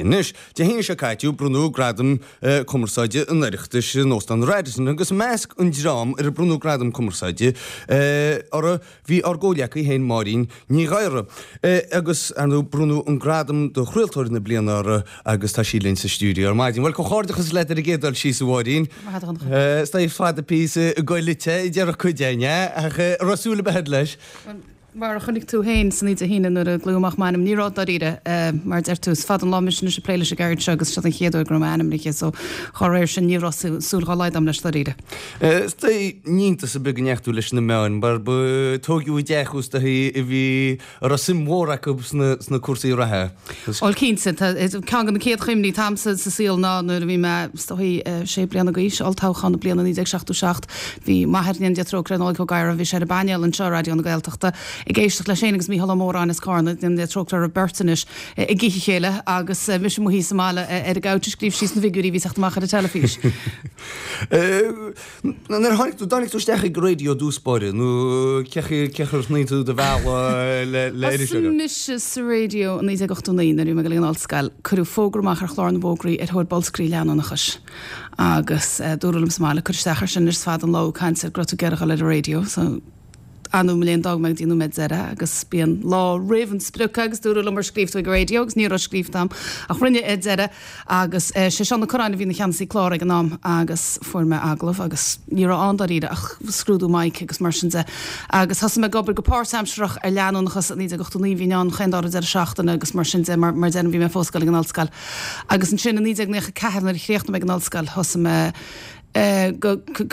Anois, Dé hAoine seo caite, bronnadh Gradam Cumarsáide an Oireachtais in Óstán Radisson agus i measc an dream ar a bronnadh Gradam Cumarsáide orthu bhí ár gcomhghleacaí féin Máirín Ní Ghadhra. Agus, ar ndóigh, bronnadh an Gradam do Chraoltóir na Bliana uirthi agus tá sí linn sa stiúideo ar maidin. Bhuel, comhghairdeachas leat ar an gcéad dul síos, a Mháirín. Maith thú, a Dhonncha. Is dóigh fada píosa ag goil duit, a déarfadh cuid againn, ach an raibh súil ar bith agat leis? Mar a chonaic tú féin san Dé hAoine nuair a glaodh amach m'ainm, ní raibh dáiríre. Mar a deir tú, is fada an lá mise anois ag plé leis an gceird seo agus seo an chéad uair go raibh m'ainm ainmnithe so dá réir sin ní raibh súil dá laghad agam leis dáiríre. Is dóigh, ní hiontas ar bith go ndeachaigh tú leis na meáin mar ba tóigeadh i dteach thú is dóigh a bhí a raibh suim mhór acu sna cúrsaí reatha. Bhuel cinnte, ceann de na céad chuimhní atá a'msa sa saol ná nuair a bhí mé, is dóigh, sé bliana d'aois, olltoghchán na bliana 1977. Bhí m'athair, go ndéana Dia trócaire air, Nollaig Ó Gadhra, bhí sé ar an bpainéal anseo i Raidió na Gaeltachta ag éisteacht leis féin agus Mícheál Ó Móráin as Cárna, go ndéana Dia trócaire orthu beirt anois, ag ithe a chéile agus mise amuigh thíos sa mbaile ar an gcouch ag scríobh síos na bhfigiúirí a bhí ag teacht amach ar an teilifís. Nuair a tháinig tú, dtáinig tú isteach ag an raidió i dtús báire nó cé chaoi ar shnoigh tú do bhealach le iriseoireacht? Thosaigh mise sa raidió i 1989 nuair a bhí mé ag dul ag an ollscoil. Cuireadh fógra amach ar chlár na bhfógraí ar thóir bolscairí leanúnachais agus dúradh liom sa mbaile cur isteach air sin, is fada an lá ag caint ar go raibh tú ag iarraidh dul ar an raidió so Ar ndóigh mo léan d'fhág mé go dtí an nóiméad deiridh agus bíonn lá roimh an sprioc agus dúradh liom ar scríobh tú ag an raidió agus ní raibh scríobhta agam ach rinne ar deireadh agus sé Seán Ó Curráin a bhí ina cheannasaí clár ag an am agus fuair mé agallamh agus ní raibh ann dáiríre ach scrúdú mic agus mar sin de agus thosaigh mé ag obair go páirtaimsearach ar leanúnachas i 1989 bhínn ann chaon dara deireadh seachtaine agus mar sin de mar mar deirim bhí mé fós ag dul ag an ollscoil agus ansin i 1994 nuair a chríochnaigh mé ag an ollscoil thosaigh mé go,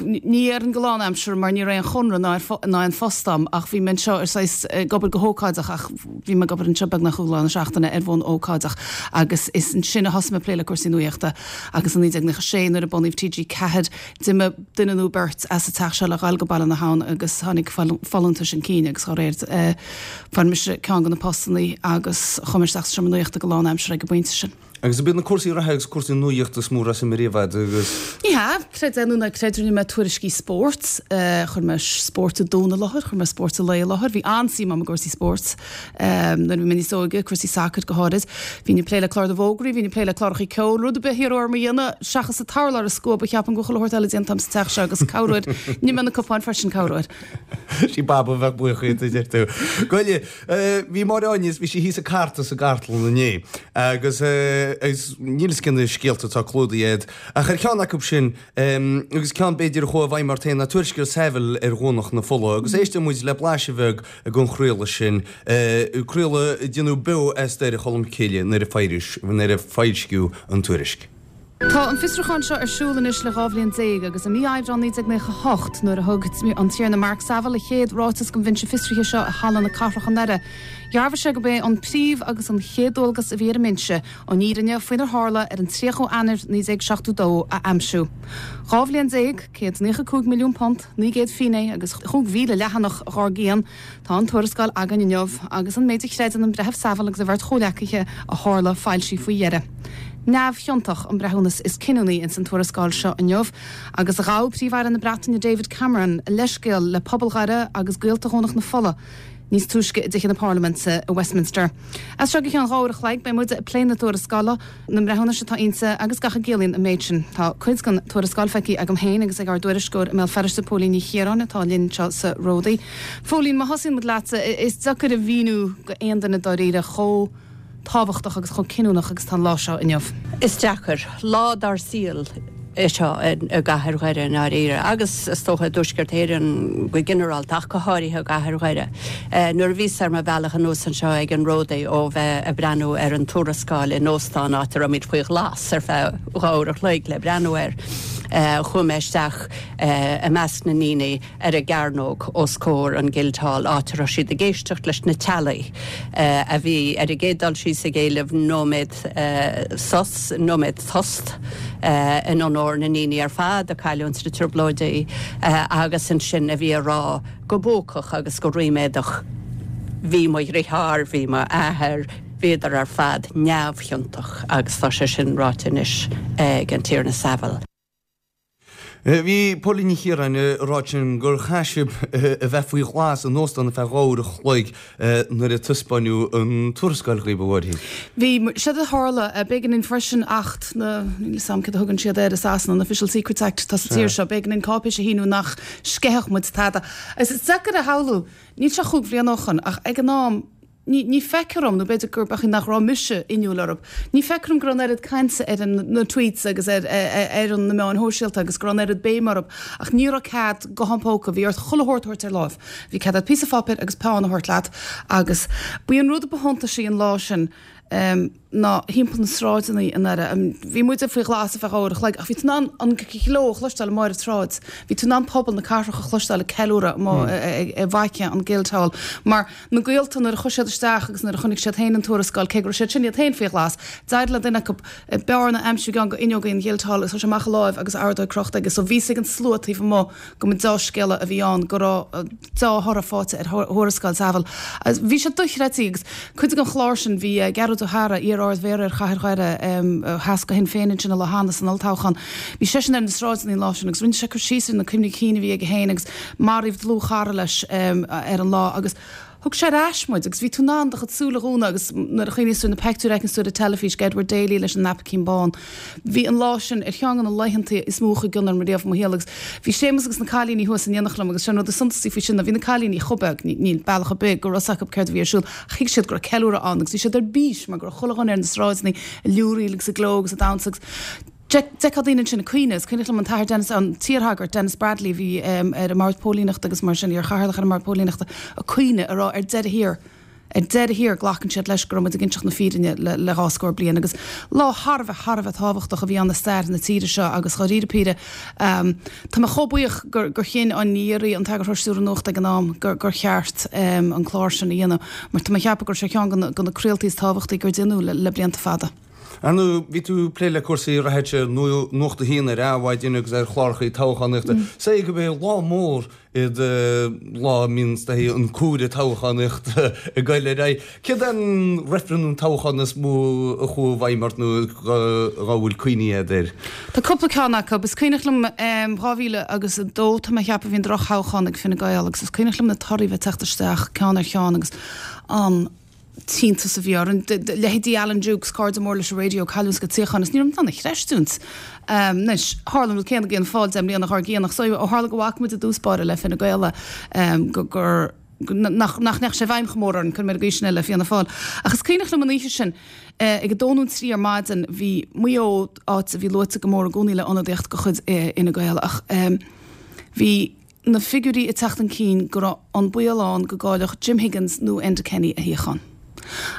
ní déarfainn go lánaimseartha mar ní raibh aon chonradh ná ná aon phost a'm ach bhí mé anseo ar saghas ag obair go hócáideach ach bhí mé ag obair anseo beagnach chuile lá na seachtaine ar bhonn ócáideach agus is ansin a thosaigh mé ag plé le cúrsaí nuaíochta agus i 1996 nuair a bunaíodh TG4 d'imigh duine nó beirt as an teach seo le dhul go Baile na hAbhann agus tháinig folúntais chun cinn agus dá réir fuair mise ceann de na postannaí agus chuaigh mé isteach sa seomra nuaíochta go lánaimseartha ag an bpointe sin. Agus ab iad na cúrsaí reatha agus cúrsaí nuaíochta is mó a raibh suim ariamh agat agus. Ní hea, creid é nó ná creid, rinne mé tuairiscí spóirt, chuir mé spórt an Domhain i láthair, chuir mé spórt an lae i láthair, bhí an-suim agam i gcúrsaí spóirt nuair a bhí mé níos óige, cúrsaí sacair go háirid. Bhínn ag plé le clár na bhfógraí, bhínn ag plé le cláracha ceoil, rud ar bith a hiarradh orm a dhéanamh seachas an t-urlár a scuabadh, cheapfainn go bhfuil chuile shórt eile déanta agam sa teach seo agus corruair, nigh mé na cupáin freisin corruair. Sí Baba a bheadh buíoch díot, a deir tú. Gabh i leith. Bhí Máire Áine, bhí sí thíos ag cartadh sa gcartlann inné agus níl fhios cé na scéalta atá clúdaithe agat ach ar cheann acu sin agus ceann b'fhéidir a chuaigh i bhfeidhm ort féin ná tuairisc ar Saville ar Dhomhnach na Fola agus éistfidh muid le blaiseadh bheag den chraoladh sin, craoladh a déanadh beo as Doire Cholm Cille nuair a foilsíodh an tuairisc. Tá an fiosrúchán seo ar siúl anois le 12 bhliain agus i mí Aibreáin 1998, nuair a thug an Tiarna Mark Saville a chéad ráiteas don bhinse fiosraithe seo i Halla na Cathrach i nDoire, dhearbhaigh sé gurb é an príomh agus an chéad dualgas a bhí ar an mbinse an fhírinne faoinar tharla ar an 30 Eanáir 1972 a aimsiú. 12 bhliain, £195 milliún, 900 finné agus 5,000 leathanach dhár gcionn, Tá an tuarascáil againn inniu agus an méid a chreideann an Breitheamh Saville agus a bheirt chomhleacaithe a tharla foilsithe faoi dheireadh. Neamhchiontach an breithiúnas is cinniúnaí ins an tuarascáil seo inniu agus ghabh Príomh-Aire na Breataine David Cameron leithscéal le pobal Dhoire agus gaolta Dhomhnach na Fola níos túisce i dTithe na Parlaiminte i Westminster. As seo go ceann 2 uair a chloig beidh muid ag plé na tuarascála. na mbreithiúnais atá inti agus gach a gciallaíonn an méid sin. Tá cuid den tuarascáil feicthe agam féin agus ag ár dtuairisceoir i mBéal Feirste, Póilín Ní Chiaráin, atá linn anseo sa Ródaí. Phóilín, má thosaíonn muid leatsa, is deacair a mhíniú go aon duine dáiríre chomh tábhachtach agus chomh cinniúnach agus atá an lá seo inniu. Is deacair. Lá dár saol é seo i gcathair Dhoire i ndáiríre, agus is dócha i dTuaisceart Éireann go ginearálta, ach go háirithe i gcathair Dhoire. Nuair a bhíos ar mo bhealach anuas anseo ag an Ródaí ó bheith ag breathnú ar an tuarascáil in óstán áit a raibh muid faoi ghlas ar feadh 2 uair a chloig le breathnú air, chuaigh mé isteach i measc na ndaoine ar an gcearnóg os comhair an Guildhall áit a raibh siad ag éisteacht leis na teaghlaigh a bhí ar an gcéad dul síos ag éileamh nóiméad sos, nóiméad tost in onóir na ndaoine ar fad a cailleadh sna Trioblóidí agus ansin a bhí ag rá go buacach agus go ríméadach bhí mo dhriotháir, bhí m'athair, bhíodar ar fad neamhchiontach agus tá sé sin ráite anois ag an Tiarna Saville. Bhí Póilín Ní Chiaráin ag rá ansin gur chaith sibh a bheith faoi ghlas in óstán ar feadh 2 uair a chloig nuair a taispeáineadh an tuarascáil dhaoibh, a Mháirín. Bhí, séard a tharla, b'éigean dúinn freisin Acht na, níl 'fhios a'm céard a thugann siad air i Sasana, an Official Secrets Act atá sa tír seo, b'éigean dúinn cáipéis a shíniú nach sceithfeadh muid tada. Is deacair a shamhlú, níl sé chúig bhliana ó shoin ach ag an am, Ní, ní feictear dom, nó b'fhéidir gurb é nach raibh mise inniúil orthu, ní feictear dom go raibh an oiread cainte ar an, na tweets agus ar, ar an, na meáin shóisialta agus go raibh an oiread béime orthu ach ní raibh cead guthán póca, bhí ort chuile shórt a thabhairt ar láimh. Bhí cead agat píosa pháipéir agus peann a thabhairt leat agus ba í an rud a ba shuntasaí an lá sin, ná thimpeall na sráideanna i nDoire. Bhí muide faoi ghlas ar feadh uair a chloig ach bhí tú in ann an gleo a chloisteáil amuigh ar an tsráid. Bhí tú in ann pobal na cathrach a chloisteáil ag ceiliúradh amuigh i bhfaiche an Guildhall. Mar na gaolta nuair a chuaigh siad isteach agus nuair a chonaic siad féin an tuarascáil, cé go raibh siad sin iad féin faoi ghlas, d'éirigh le duine acu bearna a aimsiú i gceann de fhuinneoga an Guildhall agus chuir sé amach a láimh agus ordóg crochta aige. So bhí 'fhios ag an slua taobh amuigh go mba deá-scéala a bhí ann, go raibh deá-thoradh faighte ar thuarascáil Saville. Bhí sé dochreidte agus cuid den chlár sin, bhí Gearóid Ó hEadhra, iar-Ard-Mhéara ar Chathair Dhoire, a sheas do Shinn Féin ansin an lá cheana san olltoghchán, bhí seisean ar na sráideanna an lá sin agus rinne sé cur síos ar na cuimhní cinn a bhí aige féin agus maraíodh dlúthchara leis ar an lá agus Thug sé ar ais muid agus bhí tú in ann do chuid súl a dhúnadh agus nuair a chuimhníos tú ar na peictiúir a fheiceanns tú ar an teilifís ag Edward Daly leis an naipicín bán. Bhí an lá sin ar cheann de na laethanta is mó a chuaigh i gcion orm riamh i mo shaol agus bhí Séamus agus na cailíní thuas in éineacht liom agus sé an rud is suntasaí faoi sin ná bhí na cailíní chomh beag, níl bealach ar bith go raibh 'fhios acu céard a bhí ar siúl ach thuig siad go raibh ceiliúradh ann agus bhí siad ar bís mar go raibh chuile dhuine ar na sráideanna ag liúraíl agus ag gleo agus ag damhsa agus D'fheicfeá daoine ansin ag caoineadh. Is cuimhneach liom an tAthair Denis, an t-iarshagart Denis Bradley a bhí ar an mBord Póilíneachta agus mar sin, iar-chathaoirleach ar an mBord Póilíneachta, ag caoineadh, ag rá ar deireadh thiar, ar deireadh thiar glacann siad leis go raibh muid ag inseacht na fírinne le 20 scór bliain agus lá thar a bheith, thar a bheith tábhachtach a bhí ann i stair na tíre seo agus dháiríre píre tá mé chomh buíoch gur gur chinn an iar, an t-eagarthóir stiúrtha nuachta ag an am gur gur cheart an clár sin a dhéanamh mar tá mé ag ceapadh go raibh sé ar cheann de na craoltaí is tábhachtaí gur déanadh le blianta fada. Ar ndóigh, bhí tú ag plé le cúrsaí reatha Nuacht a hAon ar Adhmhaidin agus ar chláracha toghchánaíochta. Is é gurb é lá mór iad lá a mbíonn an cúire toghchánaíochta ag goil ar aghaidh. Céard é an reifreann nó toghchán is mó a chuaigh i bhfeidhm ort nó dhá bhfuil cuimhní agat air? Tá cúpla ceann acu. Is cuimhneach liom 2000 agus 2, tá mé ag ceapadh, bhí an drochthoghchán ag Fine Gael agus is cuimhneach liom na torthaí bheith ag teacht isteach ceann ar cheann agus an t-iontas a bhí orainn. Leithéidí Alan Dukes, cairde mór leis an raidió, cailliúint a gcuid suíochán is ní raibh muid in ann a chreistiúint. Anois, tharla an rud céanna d'Fhianna Fáil 10 mbliana dhár gcionn ach so ó tharla go bhfaca muid i dtús báire le Fine Gael go gur nach nach ndeachaigh sé i bhfeidhm chomh mór orainn, cuirfidh mé ar an gcaoi sin é, le Fianna Fáil. Ach is cuimhneach liom an oíche sin, ag a dó nó trí ar maidin, bhí Maigh Eo, áit a bhí luaite go mór i gcónaí le ionadaíocht de chuid Fhine Gael ach bhí, na figiúirí ag teacht chun cinn go raibh an baol ann go gcaillfeadh Jim Higgins nó Enda Kenny a shuíochán.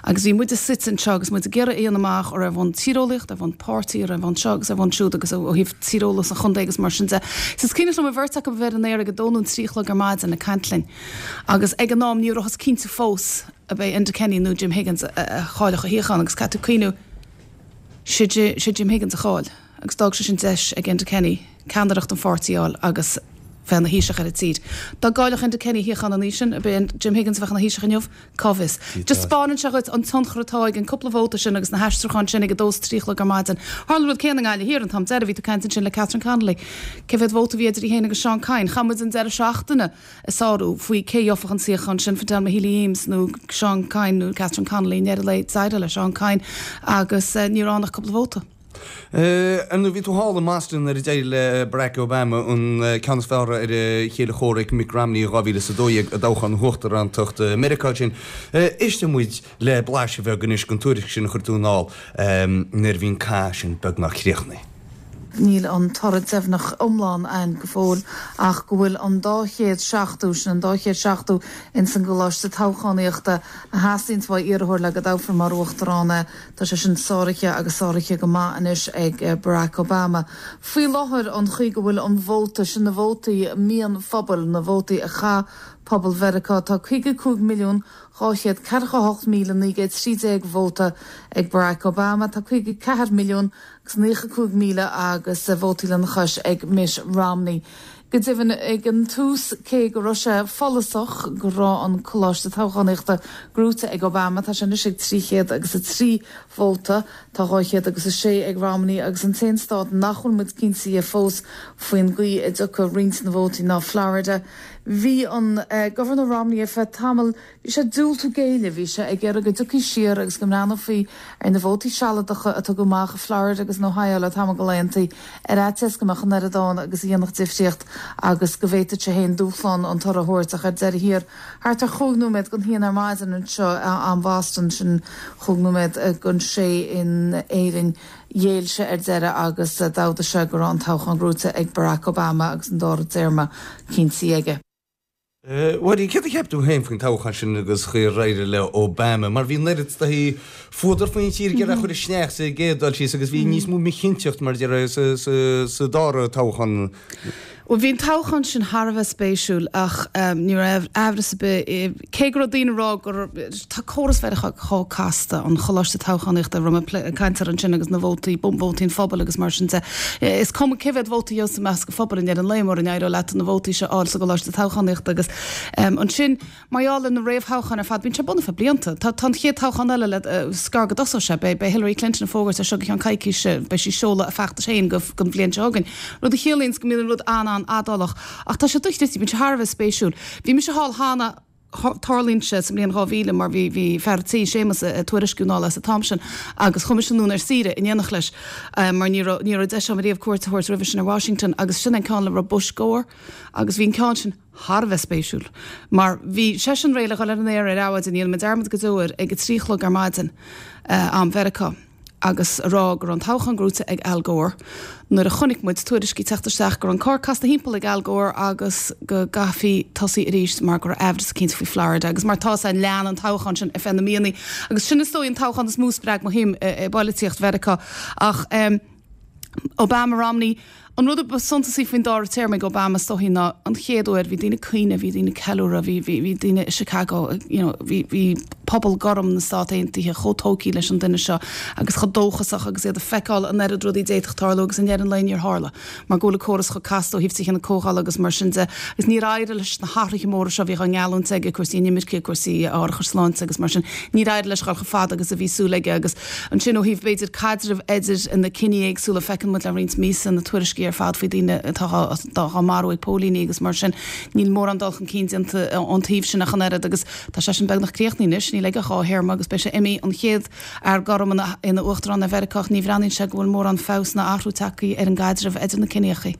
Agus bhí muide suite anseo agus muid ag iarraidh a dhéanamh amach an raibh ar bhonn tíreolaíocht, ar bhonn páirtí, ar bhonn seo agus ar bhonn siúd agus ó thaobh tíreolas an chontae agus mar sin de. So is cuimhneach liom an bheirt acu a bheith ar an aer ag a dó nó an trí a chlog ar maidin ag caint linn. Agus ag an am ní rabhthas cinnte fós ab é Enda Kenny nó Jim Higgins a chaillfeadh a shuíochán agus caithfidh tú cuimhniú sé Jim Higgins a chaill. agus d'fhág sé sin deis ag Enda Kenny ceannaireacht an pháirtí a fháil agus bheith ina Thaoiseach ar an tír. Dá gcaillfeadh Enda Kenny a shuíochán an oíche sin, ab é Jim Higgins a bheadh ina Thaoiseach inniu? Cá bhfios. Just 'spáineann sé dhuit an tionchar atá ag an cúpla vóta sin agus na haistriúcháin sin ag a dó is trí a chlog ar maidin. Tharla an rud céanna i nGaillimh Thiar an t-am deiridh, bhí tú ag caint ansin le Catherine Connolly. Cé mhéad vóta a bhí idir í féin agus Seán Kyne? Chaith muid an deireadh seachtaine ag sárú faoi cé a gheobhadh an suíochán sin, Fidelma Healy-Eames nó Seán Kyne nó Catherine Connolly. I ndeireadh lae, d'éirigh le Seán Kyne agus ní raibh ann ach cúpla vóta. Ar ndóigh, bhí tú thall i mBoston nuair a d'éirigh le Barack Obama an ceann is fearr ar a chéile comhraic Mitt Romney i 2012 i dtoghchán uachtarántacht Meiriceá ansin. Éistfidh muid le blaiseadh bheag anois den tuairisc sin a chuir tú anall nuair a bhí an cath sin beagnach críochnaithe. Níl an toradh deimhneach iomlán a'inn go fóill ach go bhfuil an dá chéad seachtú, sin an dá chéad seachtú ins an gcoláiste toghchánaíochta a theastaíonns uaidh iarrthóir le go dtoghfar mar uachtarán é. Tá sé sin sáraithe agus sáraithe go maith anois ag Barack Obama. Faoi láthair, an chaoi go bhfuil an vóta, sin na vótaí mionphobail, na vótaí a chaith pobal Mheiriceá, tá 55,248,913 vóta ag Barack Obama, tá 54 milliún agus 95 míle agus vótaí lena chois ag Mitt Romney. Go deimhin, ag an tús, cé go raibh sé follasach go raibh an Coláiste Toghchánaíochta gnóite ag Obama, tá sé anois ag 300 agus 3 vóta, tá 200 agus 6 ag Romney agus an t-aon stát nach bhfuil muid cinnte dhe fós faoin gcaoi a dtiocfaidh roinnt na vótaí ná Florida. Bhí an Gobharnóir Romney ar feadh tamaill, Bhí sé ag diúltú géilleadh, bhí sé ag iarraidh go dtiocfaí siar agus go mbreathnófaí ar na vótaí sealadacha a tugadh amach i Florida agus in Ohio le tamall de laethanta, ar fhaitíos go mbeadh an oiread ann agus a dhéanfadh difríocht agus go bhféadfadh sé féin dúshlán an toradh a thabhairt ach ar deireadh thiar, thart ar chúig nóiméad don haon ar maidin anseo, am Bhoston, sin chúig nóiméad don sé in Éirinn, ghéill sé ar deireadh agus d'fhógair sé go raibh an toghchán gnóite ag Barack Obama agus an dara téarma cinntithe aige. Mháirín, céard a cheap tú féin faoin toghchán sin agus chaoi ar éirigh le Obama? Mar bhí an oiread is dóichí fuadar faoin tír ag iarraidh é a chur isteach sa gcéad dul síos agus bhí níos mó míchinnteacht mar a déarfá sa dara toghchán. Bhuel, bhí an toghchán sin thar a bheith spéisiúil ach ní raibh aimhreas ar bith, cé go raibh daoine ag rá gur, tá córas Mheiriceá chomh casta, an choláiste toghchánaíochta a raibh mé ag caint air ansin agus na vótaí, vótaí an phobail agus mar sin de. Is cuma cé mhéad vóta a gheobhas i measc an phobail i ndeireadh an lae mura n-éireoidh leat na vótaí seo a fháil sa gcoláiste toghchánaíochta agus ansin mar gheall ar na réamhthoghcháin ar fad bíonn sé ar bun ar feadh blianta. Tá an chéad toghchán eile le is gearr go dtosóidh sé. Beidh Hillary Clinton ag fógairt as seo go ceann coicíse beidh sí ag seoladh a feachtais féin don bhliain seo chugainn. Rud a chiallaíonns go mbíonn an rud an-an-fhadálach. Ach tá sé dochreidte, bíonn sé thar a bheith spéisiúil. Bhí mise thall cheana. Tarlaíonn sé sa mbliain 2000 mar bhí bhí fear an tí, Séamus, ag tuairisciú anall as an t-am sin agus chuaigh mise anonn ar saoire in éineacht leis mar ní raibh ní raibh deis agam riamh cuairt a thabhairt roimhe sin ar Washington agus sin an ceann le raibh Bush Gore agus bhí an ceann sin thar a bheith spéisiúil mar bhí seisean réidh le dhul ar an aer ar adhmhaidin, ní dhéanfaidh mé dearmad go deo air, ag a 3 a chlog ar maidin am Mheiriceá. agus a rá go raibh an toghchán gnóite ag Al Gore nuair a chonaic muid tuairiscí teacht isteach go raibh an carr casta thimpeall ag Al Gore agus go gcaithfí tosaí arís mar go raibh aimhreas eicínt faoi Florida agus mar tá san lean an toghchán sin ar feadh na míonna agus sin is dóigh an toghchán is mó a spreag mo shuim i bpolaitíocht Mheiriceá ach Obama Romney An rud a ba suntasaí faoin dara téarma ag Obama is dóichí ná an chéad uair, bhí daoine ag caoineadh, bhí daoine ag ceiliúradh, bhí, bhí, bhí daoine i Chicago, you know, bhí, bhí pobal gorm na Stát Aontaithe chomh tógtha leis an duine seo agus chomh dóchasach agus iad ag feiceáil an oiread rudaí a d'fhéadfadh tarlú agus i ndeireadh an lae níor tharla mar go bhfuil an córas chomh casta ó thaobh tithe na comhdhála agus mar sin de agus níor éirigh leis na hathruithe móra seo a bhíodh á ngeallúint aige, cúrsaí inimirce, cúrsaí árachais sláinte agus mar sin, níor éirigh leis dhul chomh fada agus a bhí súil aige agus Ansin, ó thaobh, b'fhéidir, caidreamh idir na ciní éagsúla, feiceann muid le roinnt míosa na tuairiscí ar fad faoi daoine atá á marú ag póilíní agus mar sin. Níl mórán dul chun cinn déanta ón taobh sin ach an oiread agus tá seisean beagnach críochnaithe anois, níl aige ach dhá théarma agus beidh sé imithe, an chéad fhear gorm ina uachtarán ar Mheiriceá ach ní bhreathnaíonn sé go bhfuil mórán feabhas ná athrú tagtha ar an gcaidreamh idir na ciníocha.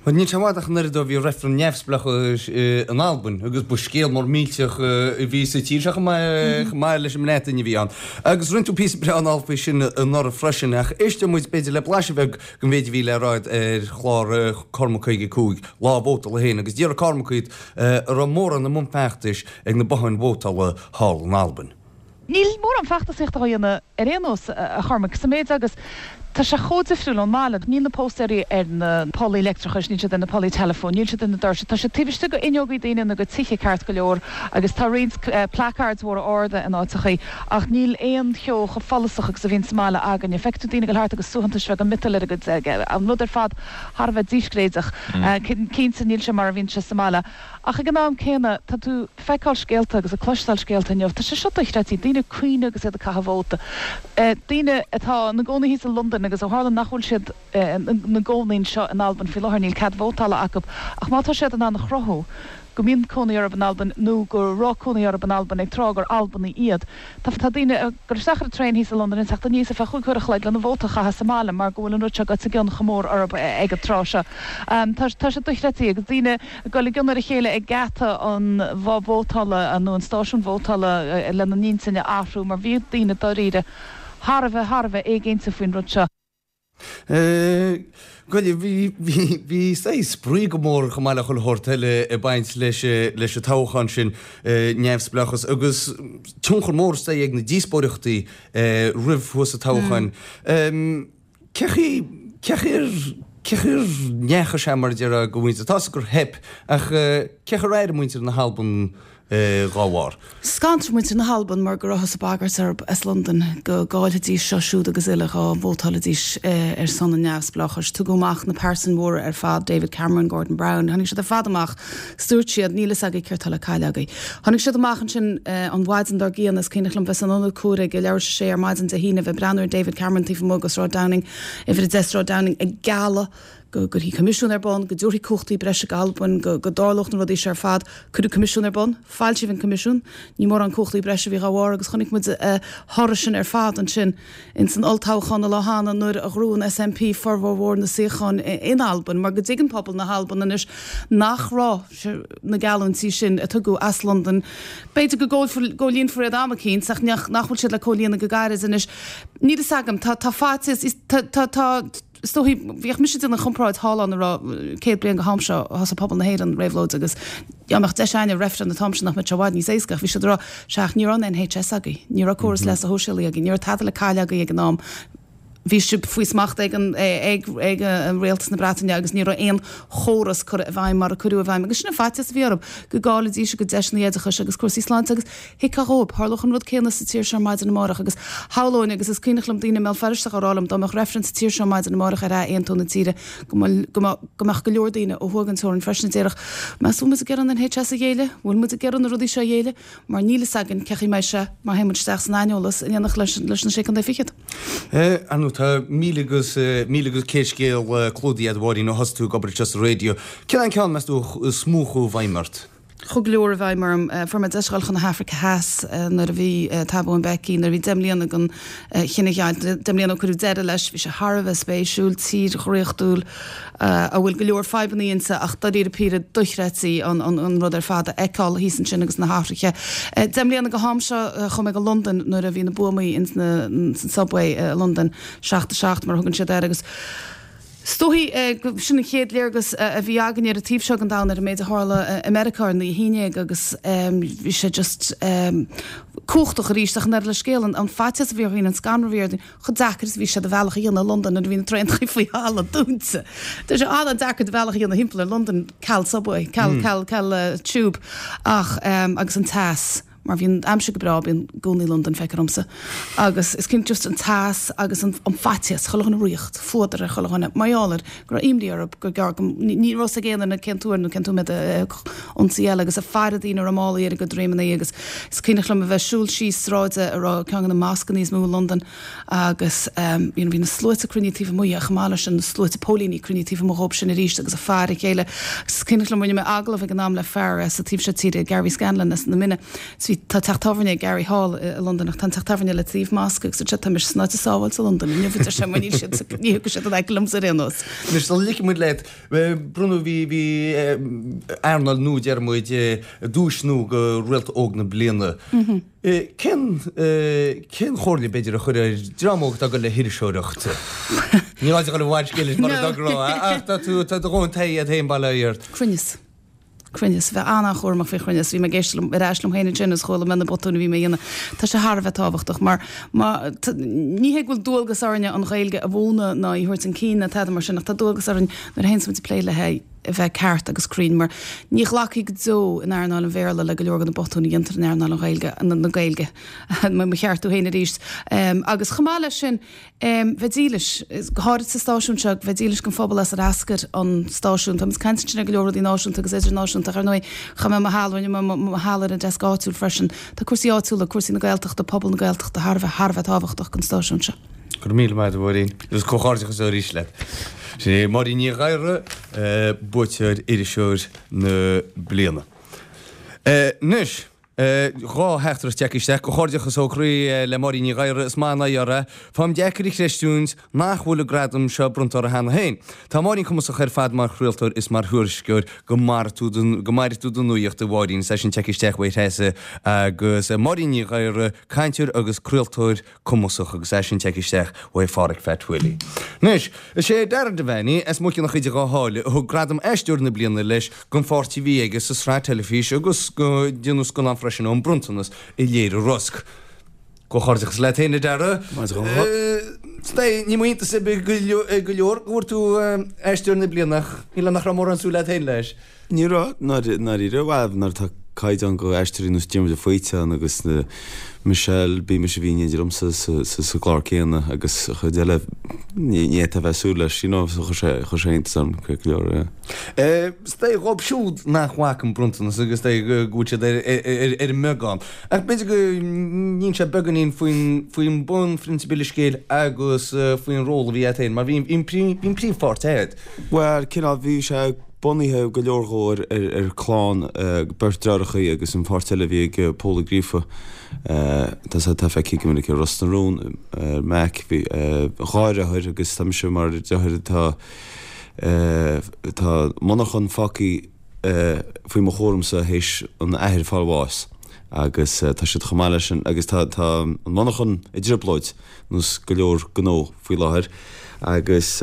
Bhuel, níl sé i bhfad ach an oiread ó bhí reifreann neamhspleáchais in Albain agus ba scéal mór millteach a bhí sa tír seo chomh maith leis an mBreatain a bhí ann. Agus rinne tú píosa breá anall faoi sin anuraidh freisin ach éisteoidh muid b'fhéidir le blaiseadh beag den mhéid a bhí le rá ar chlár Cormac 55, Lá Vótála féin agus d'fhiafraigh Cormac díot an raibh mórán i mbun feachtais ag na botháin vótála thall in Albain. Níl mórán feachtasaíochta á dhéanamh ar aon nós, a Chormaic, sa méid agus tá sé chomh difriúil ón mbaile. Níl na póstaeirí ar na pollaí leictreachais, níl siad ar na pollaí teileafóin, níl siad ar na doirse. Tá siad taobh istigh d'fhuinneogaí daoine nó de tithe ceart go leor agus tá roinnt placards mhóra arda in áiteachaí ach níl aon cheo chomh follasach agus a bhíonn sa mbaile againne. Feicfidh tú daoine ag dul thart agus suaitheantais bheaga miotail ar a gcuid, an rud ar fad thar a bheith díscréideach. Cinnte níl sé mar a bhíonn sé sa mbaile. Ach ag an am céanna, tá tú ag feiceáil scéalta agus ag cloisteáil scéalta inniu, tá sé seo dochreidte, daoine ag caoineadh agus iad ag caitheamh vóta. Daoine atá ina gcónaí thíos i Londain agus ó tharla nach bhfuil siad ina gcónaí anseo in Albain faoi láthair, níl cead vótála acu, ach má tá siad in ann a chruthú go mbíonn cónaí orthu in Albain nó go raibh cónaí orthu in Albain ag tráth gur Albanaigh iad, Tá daoine ag dul isteach ar an traein thíos i Londain ag teacht aníos ar feadh chúig uair a chloig lena vóta a chaitheamh sa mbaile mar go bhfuil an rud seo goite i gcion chomh mór orthu ag an tráth seo. Tá sé dochreidte agus daoine ag dul i gcionn ar a chéile ag geata an bhoth vótála nó an stáisiún vótála lena n-intinn a athrú mar bhí daoine dáiríre thar a bheith, thar a bheith éiginnte faoin rud seo. Goile, bhí, bhí, bhí saghas spraoi go mór chomh maith le chuile shórt eile ag baint leis, leis an toghchán sin, neamhspleáchas agus tionchar mór is dóigh ag na díospóireachtaí roimh thuas an toghcháin. Cé chaoi, cé chaoi ar, cé chaoi ar ndeachaigh sé mar a déarfá do mhuintir, tá 'fhios gur theip ach cé chaoi ar airigh muintir na hAlban? dhá bharr. Scanraigh muintir na hAlban mar go rabhthas ag bagairt orthu as Londain go gcaillfidís seo siúd agus uile dhá vótálfaidís ar son an neamhspleáchais. Tugadh amach na pearsain mhóra ar fad, David Cameron, Gordon Brown, tháinig siad ar fad amach 's dúirt siad, níl fhios agaibh céard tá le cailleadh agaibh. Tháinig siad amach ansin an mhaidin dár gcionn, is cuimhneach liom bheith san ionad comhairimh ag leathuair tar éis a sé ar maidin Dé hAoine, bheith ag breathnú ar David Cameron taobh amuigh de Sráid Downing, uimhir 10 Sráid Downing, ag gealladh go gcuirfí coimisiún ar bun, go dtabharfaí cumhachtaí breise d'Albain, go dtarlódh na rudaí seo ar fad. Cuireadh coimisiún ar bun, foilsíodh an coimisiún, ní mórán cumhachtaí breise a bhí dhá bharr agus chonaic muid a thoradh sin ar fad ansin ins an olltoghchán an lá cheana nuair a ghnóthaigh an SNP formhór mhór na suíochán in Albain mar go dtuigeann pobal na hAlban anois nach raibh na geallúintí sin a tugadh as Londain, b'fhéidir go gcomhlíonfar iad am eicínt ach nach bhfuil siad le comhlíonadh go gairid anois. Níl fhios agam, tá faitíos, tá, tá, Is dóichí, bhíodh mise ag déanamh an chomparáid thall ann a raibh 100 bliain go ham seo thosaigh pobal na hÉireann réabhlóid agus dá mbeadh deis againne reifreann an t-am sin nach mbeadh sé i bhfad níos éasca ach bhí siad ag rá sea ach ní raibh an NHS agaibh, ní raibh córas leasa shóisialaigh agaibh, ní raibh tada le cailleadh agaibh ag an am, bhí sibh faoi smacht ag an ag ag an rialtas na Breataine agus ní raibh aon chóras curtha i bhfeidhm mar a cuireadh i bhfeidhm agus sin an faitíos a bhí orthu go gcaillfidís a gcuid deiseanna oideachais agus cúrsaí sláinte agus Thiocfadh dhóibh. Tharlódh an rud céanna sa tír seo ar maidin amárach agus shamhlóinn, agus is cuimhneach liom daoine i mBéal Feirste á rá liom, dá mbeadh reifreann sa tír seo ar maidin amárach ar ath-aontú na tíre, go mbeadh go leor daoine ó thuaidh den teorainn freisin a déarfadh, Meas bhfuil muid ag iarraidh an NHS a ghéilleadh? Bhfuil muid ag iarraidh na rudaí seo a ghéilleadh? Mar níl fhios againn cén chaoi mbeidh sé má théann muid isteach san aineolas in éineacht leis na Sé Contae Fichead. Ar ndóigh, tá 1,100 scéal clúdaithe agat, a Mháirín, ó thosaigh tú ag obair anseo sa raidió. Cén an ceann, meas tú, is mó a chuaigh i bhfeidhm ort? Chuaigh go leor i bhfeidhm orm. Fuair mé deis a dhul chun na hAfraice Theas nuair a bhí Thabo Mbeki, nuair a bhí 10 mbliana den chinedheighilt, 10 mbliana ó cuireadh deireadh leis. Bhí sé thar a bheith spéisiúil, tír dhraíochtúil a bhfuil go leor fadhbanna inti ach dáiríre píre dochreidte an rud ar fad a fheiceáil thíos ansin agus na hathruithe. 10 mbliana go ham seo chuaigh mé go Londain nuair a bhí na buamaí ins na, san subway i Londain, 7 7 mar a thugann siad air agus, Is dóichí go sin an chéad léargas a bhí againn ar an taobh seo den domhan ar an méid a tharla i Meiriceá ar an 11 agus bhí sé just cumhachtach arís ach an oiread le scéal, an faitíos a bhí ar dhaoine, an scanradh a bhí ar dhaoine, chomh deacair is a bhí sé do bhealach a dhéanamh i Londain nuair a bhí na traenacha faoi thalamh dúnta. Tá sé an-deacair do bhealach a dhéanamh thimpeall ar Londain ceal subway, ceal, ceal, ceal tube ach agus an teas. mar bhíonn aimsir go breá, bíonn i gcónaí i Londain, feictear domsa. Agus is cinnte just an teas agus an faitíos, chuile dhuine ag riocht, fuadar ar chuile dhuine, mar gheall air go raibh imní orthu gur gearr go, ní raibh fhios ag aon duine cén t-uair nó cén t-nóiméad a thiocfadh ionsaí eile agus ag faire daoine a raibh málaí ar a gcuid droimeanna agus is cuimhneach liom a bheith ag siúl síos sráide a raibh ceann de na moscanna is mó i Londain agus you know bhí na sluaite cruinnithe taobh amuigh ach chomh maith leis sin na sluaite póilíní cruinnithe taobh amuigh dhóibh sin arís agus ag faire a chéile agus is cuimhneach liom rinne mé agallamh ag an am le fear sa taobh seo tíre Gary Scanlon as na Mine is bhí tá teach tábhairne Gary thall i Londain ach tá an teach tábhairne le taobh mosc agus dúirt sé tá mise san áit is sábháilte i Londain inniu a deir sé mar níl siad ní thiocfaidh siad in aice liomsa ar aon nós. Anois sula ligfidh muid leat bronnadh bhí bhí earnáil nua deir muid duais nua do Réalta Óg na Bliana. Cén cén chomhairle, b'fhéidir, a chuirfeá ar dream óg atá ag dul le hiriseoireacht? Ní gá duit a dhul i bhfad scéil leis mar a d'fhógraí, ach tá tú, tá do dhóthain taithí agat féin, bail ó Dhia ort. Cruinneas. Cruinneas. Bheith an-an-chúramach faoi chruinneas. Bhí mé ag éisteacht liom, ar ais liom féin ansin agus chuala mé na botúin a bhí mé a dhéanamh. Tá sé thar a bheith tábhachtach mar má, ní hé go bhfuil dualgas orainne an Ghaeilge a mhúineadh ná í a thabhairt chun cinn ná tada mar sin ach tá dualgas orainn nuair a théanns muid ag plé léi, a bheith ceart agus cruinn, mar ní ghlacfaí go deo in earnáil an Bhéarla le go leor de na botúin a dhéantar in earnáil an Ghaeilge, na Gaeilge, mo cheartú féin arís. Agus chomh maith leis sin, bheith dílis, go háirid sa stáisiún seo, bheith dílis don phobal as ar eascair an stáisiún. Táimid ag caint ansin ar go leor rudaí náisiúnta agus idirnáisiúnta ach ar ndóigh, chaith mé mo sheal, rinne mé mo sheal ar an deasc áitiúil freisin. Tá cúrsaí áitiúla, cúrsaí na Gaeltachta, pobal na Gaeltachta thar a bheith, thar a bheith tábhachtach don stáisiún seo. Go raibh míle maith agat, a Mháirín. Agus comhghairdeachas arís leat. Sin é Máirín Ní Ghadhra, buaiteoir Iriseoir na Bliana. Anois, 2 theachtaireacht tagtha isteach. Comhghairdeachas ó chroí le Máirín Ní Ghadhra. Is maith an aghaidh uirthi. Faighim deacair a chreistiúint nach bhfuil an gradam seo bronnta uirthi cheana féin. Tá Máirín cumasach ar fad mar chraoltóir is mar thuairisceoir. Go maire tú go maire tú don nuaíocht, a Mháirín. Is é sin tagtha isteach uaidh Threasa agus Máirín Ní Ghadhra, cainteoir agus craoltóir cumasach agus é sin tagtha isteach uaidh Pháraic Phat Willie. Anois, is é Dara Devaney as Muice na Chuide Dhá Sháile a thug gradam Aisteoir na Bliana leis don pháirt a bhí aige sa sraith teilifíse agus go déanadh scannán freisin An Bronntanas a léirigh Rosg. Comhghairdeachas leat féin, a Dara. Ní mó iontas ar bith go leor go bhfuair tú Aisteoir na Bliana ach níl nach raibh mórán súil agat féin leis. Ní raibh, ndáiríre, bhuel, nuair atá. caighdeán go aisteoirí nós Diarmuid Ó Faoite ann agus na Michelle, b'í mise a bhí in éindí liomsa sa gclár céanna agus an chuid eile ní fhéadfá a bheith ag súil leis, you know, so chuir sé, chuir sé iontas orm go leor, yeah. Is dóigh dhóibh siúd nach bhfaca an Bronntanas agus is dóigh go bhfuil siad ar an mbeagán. Ach b'fhéidir go n-inseofá beagáinín faoin bunphrionsabal an scéil agus faoin ról a bhí agat féin, mar bhí an príomhpháirt agat. Bhuel, cineál, bhí sé bunaithe go leor dhó ar chlann, beirt deartháireacha agus an pháirt eile a bhí ag Pól Ó Gríofa, tá sé, tá feicthe go minic ar Ros na Rún, ar Mac, bhí dhá dheartháir agus tá mise mar dheartháir atá, tá monarchan fágtha faoi mo chúramsa théis an athair fáil bháis agus tá siad chomh maith leis sin agus tá, tá an monarchan i dtrioblóid nós go leor gnó faoi láthair agus.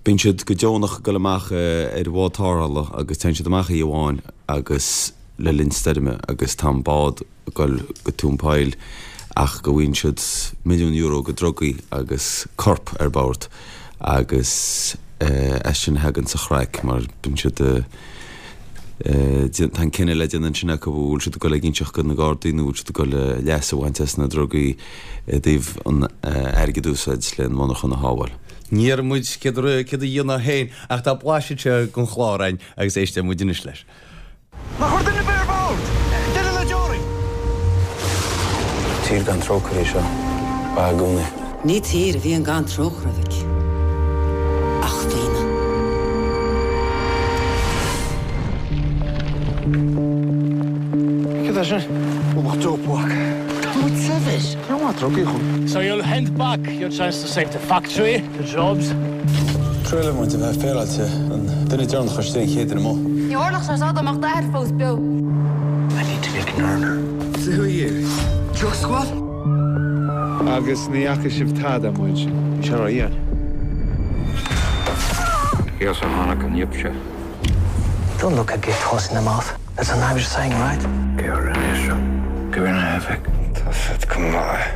Bíonn siad go deonach ag dul amach ar bhád tarrthála agus téann siad amach oíche amháin agus le linn stoirme agus tá an bád ag dul go tóin poill ach go bhfaigheann siad milliún euro go drugaí agus corp ar bord agus as sin a thagann an chraic mar bíonn siad Tá an cinneadh le déanamh ansin acu an bhfuil siad ag dul ag inseacht do na Gardaí nó bhfuil siad ag dul leas a bhaint as na drugaí i dtaobh an airgead a úsáid le an monarchan a shábháil. Ní déarfaidh muid céard a dhéanamh féin ach tá blaiseadh seo den chlár againn agus éistfidh muid anois leis. Nach raibh duine ar bith ar bord? Duine le deoraí? Tír gan trócaire í seo. Ba ea i gcónaí. Ní tír a bhíonn gan trócaire, a mhic, ach daoine. Céard é sin? Ualach dope. Tá muid saibhir. Ní maith drugaí chun. So you'll hand back your chance to save the factory, the jobs. Trua le muid a bheith féaráilte, an duine deireanach istigh an chéad duine amuigh. Ní tharlódh sé seo dá mbeadh d'athair fós beo. I need to make an earner. So who are you? Drug squad? Agus ní fhaca sibh tada amuigh ansin. Bhí sé ródhian. Thíos a tháinig an jip seo. Don't look a gift horse in the mouth. That's an Irish saying, right? Cé a rinne é seo? Go raibh na hEifig. Tá siad go maith.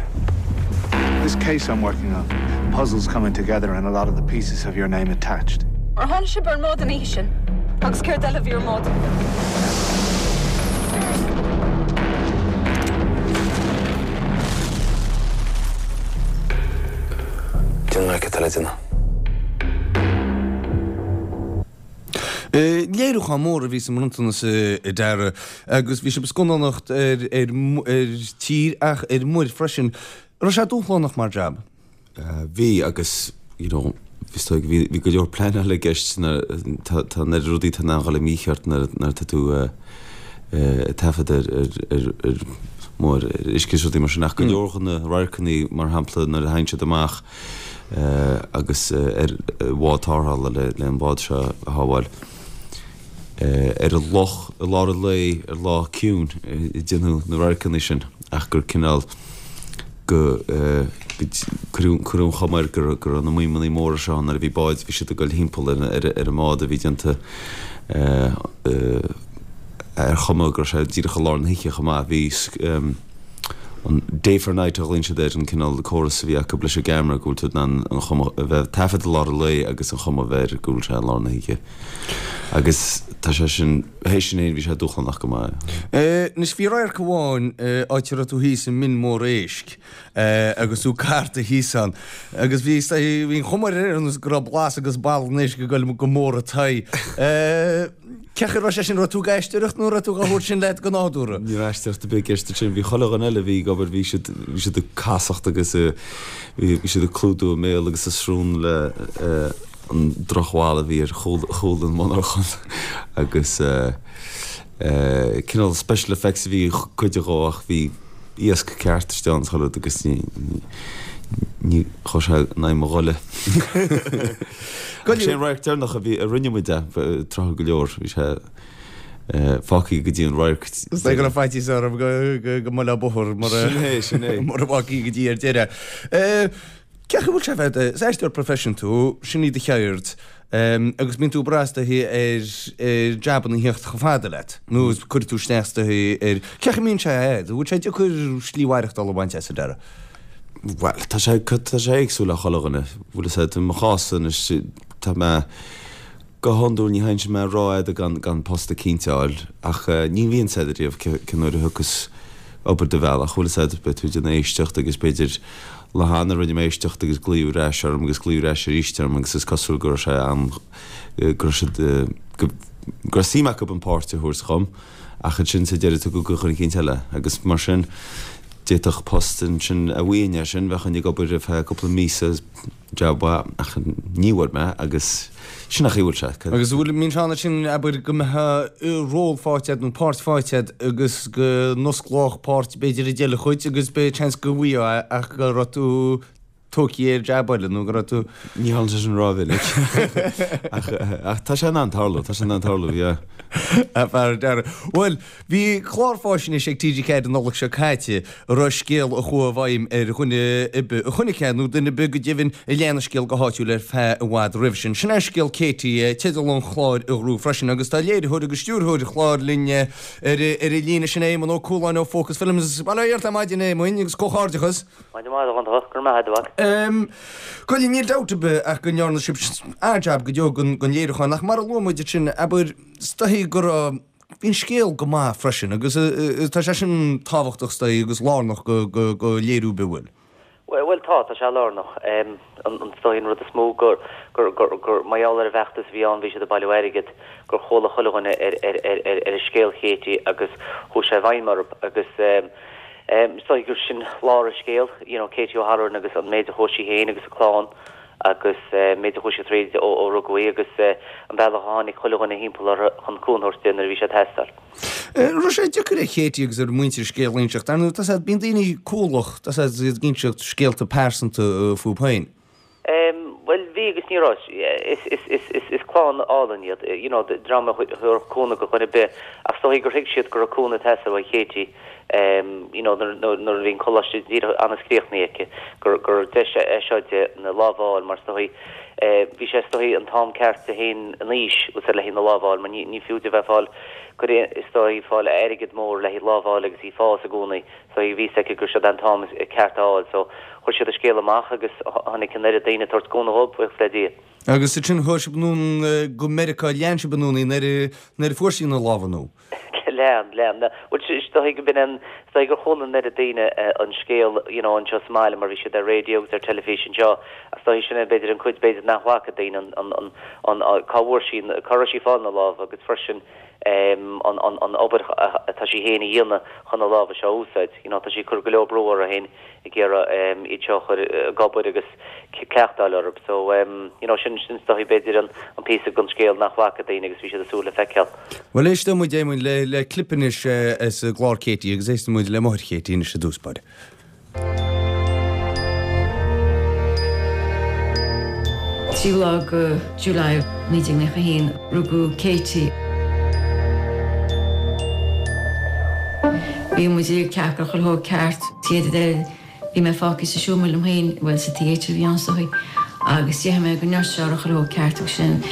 This case I'm working on, puzzles coming together and a lot of the pieces have your name attached. Ar tháinig sibh ar an mbád an oíche sin? Agus céard eile a bhí ar an mbád? Déanfaidh mé cad tá le déanamh. Léiriúchán mór a bhí sa mBronntanas a Dara agus bhí sibh ag scannánacht ar tír ach ar muir freisin. Raibh sé dúshlánach mar jab? Bhí agus you know is dóigh bhí bhí go leor pleanála i gceist nuair tá tá na rudaí atá in ann dhul i mícheart nuair nuair atá tú ag taifead ar ar ar ar muir ar uisce is rudaí mar sin ach go leor de na radharcanna mar shampla nuair a thagann siad amach agus ar bhád tarrthála le an bád seo a shábháil. Ar an loch i lár an lae ar lá ciúin a déanadh na radharcanna sin ach gur cineál go cuireadh an chuma air go raibh na maidhmeanna móra seo ann nuair a bhí báid, bhí siad ag dul thimpeall ar an mbád a bhí déanta ar chuma go raibh sé díreach i lár na hoíche chomh maith. Bhí. an day for night a ghlaonn siad air, an cineál córas a bhí acu leis an gceamara go bhfuil tú in ann an chuma a bheith taifead i lár an lae agus an chuma a bheith air go bhfuil sé i lár na hoíche. Agus tá sé sin, théis sin fhéin bhí sé dúshlánach go maith. Anois bhí radharc amháin áit a raibh tú thíos i mbinn mór éisc agus tú carta thíos ann agus bhí bhí an chuma air ar nós go raibh blas agus boladh an éisc ag goil go mór ort. Cén chaoi a raibh sé sin, raibh tú ag aisteoireacht nó raibh tú á thabhairt sin leat go nádúrtha? Ní raibh aisteoireacht ar bith i gceist ansin. Bhí chuile dhuine eile a bhí ag obair, bhí siad, bhí siad ag casacht agus bhí siad ag clúdú a mbéal agus a srón le an drochbholadh a bhí ar chúl, chúl an mhonarchan agus cineál special effects a bhí cuid dhó ach bhí iasc ceart istigh ann chuile rud agus ní, ní chuaigh sé in aghaidh mo ghoile. Ach sé an radharc deireanach a bhí, a rinne muid é, tráth go leor, bhí sé fágtha go dtí an radharc. Is dóigh go raibh faitíos orthu go mbuailfeá bóthar mura Sin é, sin é. mura bhfágfaí go dtí ar deireadh. Cén chaoi a bhfuil sé bheith, is aisteoir proifisiúnta tú, sin í do cheird, agus bíonn tú ag brath is dóichí ar ar jabanna a thíocht chomh fada leat, nó cuirfidh tú isteach is dóichí ar, cén chaoi a mbíonn sé agat, an bhfuil sé deacair slí mhaireachtála a bhaint as ar deireadh? Bhuel, tá sé, tá sé éagsúil le chuile dhuine, bhfuil fhios agat, i mo chás anois, tá mé. Go hiondúil ní théinnse mé rófhada gan gan post eicínt a fháil ach ní bhíonn 's a'd riamh cén uair a thiocfas obair do bhealach, bhfuil 'fhios a'd, beidh tú ag déanamh éisteacht agus b'fhéidir lá cheana rinne mé éisteacht agus glaodh ar ais orm agus glaodh ar ais arís orm agus is cosúil go raibh sé an, go raibh siad, go go raibh suim acu an páirt a thabhairt dhom ach ansin sa deireadh tugadh go dhuine eicínt eile agus mar sin d'fhéadfadh post ansin a bhfaighinn é sin bheinn ag obair ar feadh cúpla míosa Jab mhaith, ach ní bhfuair mé agus sin an chaoi a bhfuil sé. Agus an bhfuil, mbíonn sé ann ansin, abair, go mbeadh ról faighte agat nó páirt faighte agat agus go n-osclódh páirt b'fhéidir rud eile dhuit agus beidh seans go bhfaighfeá é ach go raibh tú tógtha ar jab eile nó go raibh tú. Ní tharlaíonn sé sin rómhinic ach ach tá sé in ann tarlú, tá sé in ann tarlú, yeah. A fear deara. Bhuel, Bhí clár fáisnéise ag TG4 an Nollaig seo caite a raibh scéal a chuaigh i bhfeidhm ar dhuine ar bith a chonaic é, nó duine ar bith go deimhin a lean an scéal go háitiúil ar feadh i bhfad roimhe sin. Sin é scéal Katie, teideal an chláir a ghnóthaigh freisin, agus tá léiritheoir agus stiúrthóir an chláir linn ar an líne, sin é Éamonn Ó Cualáin ó Focus Films. Bail ó Dhia ort ar maidin, a Éamoinn, agus comhghairdeachas. Maidin mhaith, a Dhonncha. Go raibh maith agat, a mhac. Bhuel, níl dabht ar bith ach go ndearna sibh an-jab go deo den léiriúchán, ach mar a luaigh muid ansin, abair, is dóichí go raibh, Bhí an scéal go maith freisin agus tá sé sin tábhachtach is dóigh agus lárnach go léiriú ar bith, bhfuil? Bhuel tá, tá sé lárnach. Is dóigh an rud is mó gur, gur, gur, gur mar gheall ar an bhfeachtas a bhí ann, bhí siad ag bailiú airgid, gur chuala chuile dhuine ar, ar, ar, ar, ar an scéal Katie agus chuaigh sé i bhfeidhm orthu agus is dóigh gur sin lár an scéil, you know, Katie O'Halloran agus an méid a chuaigh sí féin agus a clann agus an méid a chuaigh sí tríd ó rugadh í agus an bealach a tháinig chuile dhuine thimpeall uirthi chun cúnamh a thabhairt di nuair a bhí sé ag teastáil. An raibh sé deacair ar Katie agus ar a muintir scéal a inseacht? Ar ndóigh, tá 's a'd, bíonn daoine cúthalach, tá 's a'd, iad ag inseacht scéalta pearsanta fúthu féin. Bhuel, bhí agus ní raibh. Is clann álainn iad, you know, dream a thabharfadh cúnamh do dhuine ar bith ach is dóigh gur thuig siad go raibh cúnamh ag teastáil uaidh Katie. you know nuair a bhí an coláiste díreach anas críochnaithe aici, gur gur deis é seo di na lámha a fháil mar is dóigh bhí sé is dóigh an t-am ceart di féin in aois agus le haghaidh na lámha a fháil mar ní ní fiú di bheith fáil cuir is dóigh fáil airgead mór le haghaidh lámh a fháil agus í fás i gcónaí so bhí fhios aici gur seo an t-am ceart a fháil so chuir siad an scéal amach agus tháinig an oiread daoine ag tabhairt cúnamh dhóibh, buíochas le Dia. Agus ansin chuaigh sibh anonn go Meiriceá, lean sibh anonn í nuair a nuair a fuair sí na lámha nó? Lean, lean. Bhuel, is dóigh go b'in an, is dóigh gur chuala an oiread daoine an scéal, you know, anseo sa mbaile mar bhí siad ar raidió agus ar teilifís anseo ach is dóigh sin é b'fhéidir an cuid b'fhéidir nach bhfaca daoine an, an, an, an, cá bhfuair sí, cá raibh sí ag fáil na lámha agus freisin an, an, an obair atá sí féin a dhéanamh chun na lámha seo a úsáid. You know, tá sí ag cur go leor brú uirthi féin ag iarraidh iad seo a chur ag obair agus cleachtáil orthu. So, you know, sin sin is dóigh b'fhéidir an an píosa den scéal nach bhfaca daoine agus bhí siad ag súil le feiceáil. Bhuel, éisteoidh muid, Éamoinn, le le clip anois as an gclár Katie agus éistfidh muid le máthair Katie anois i dtús báire. Tríú lá de July 1991 rugadh Katie. Bhí muid ag ceapadh chuile shórt ceart theatre bhí mé fágtha sa seomra liom féin, bhuel sa theatre a bhí ann is dóigh, agus d'fhéach mé go nurse a chuile shórt ceart agus sin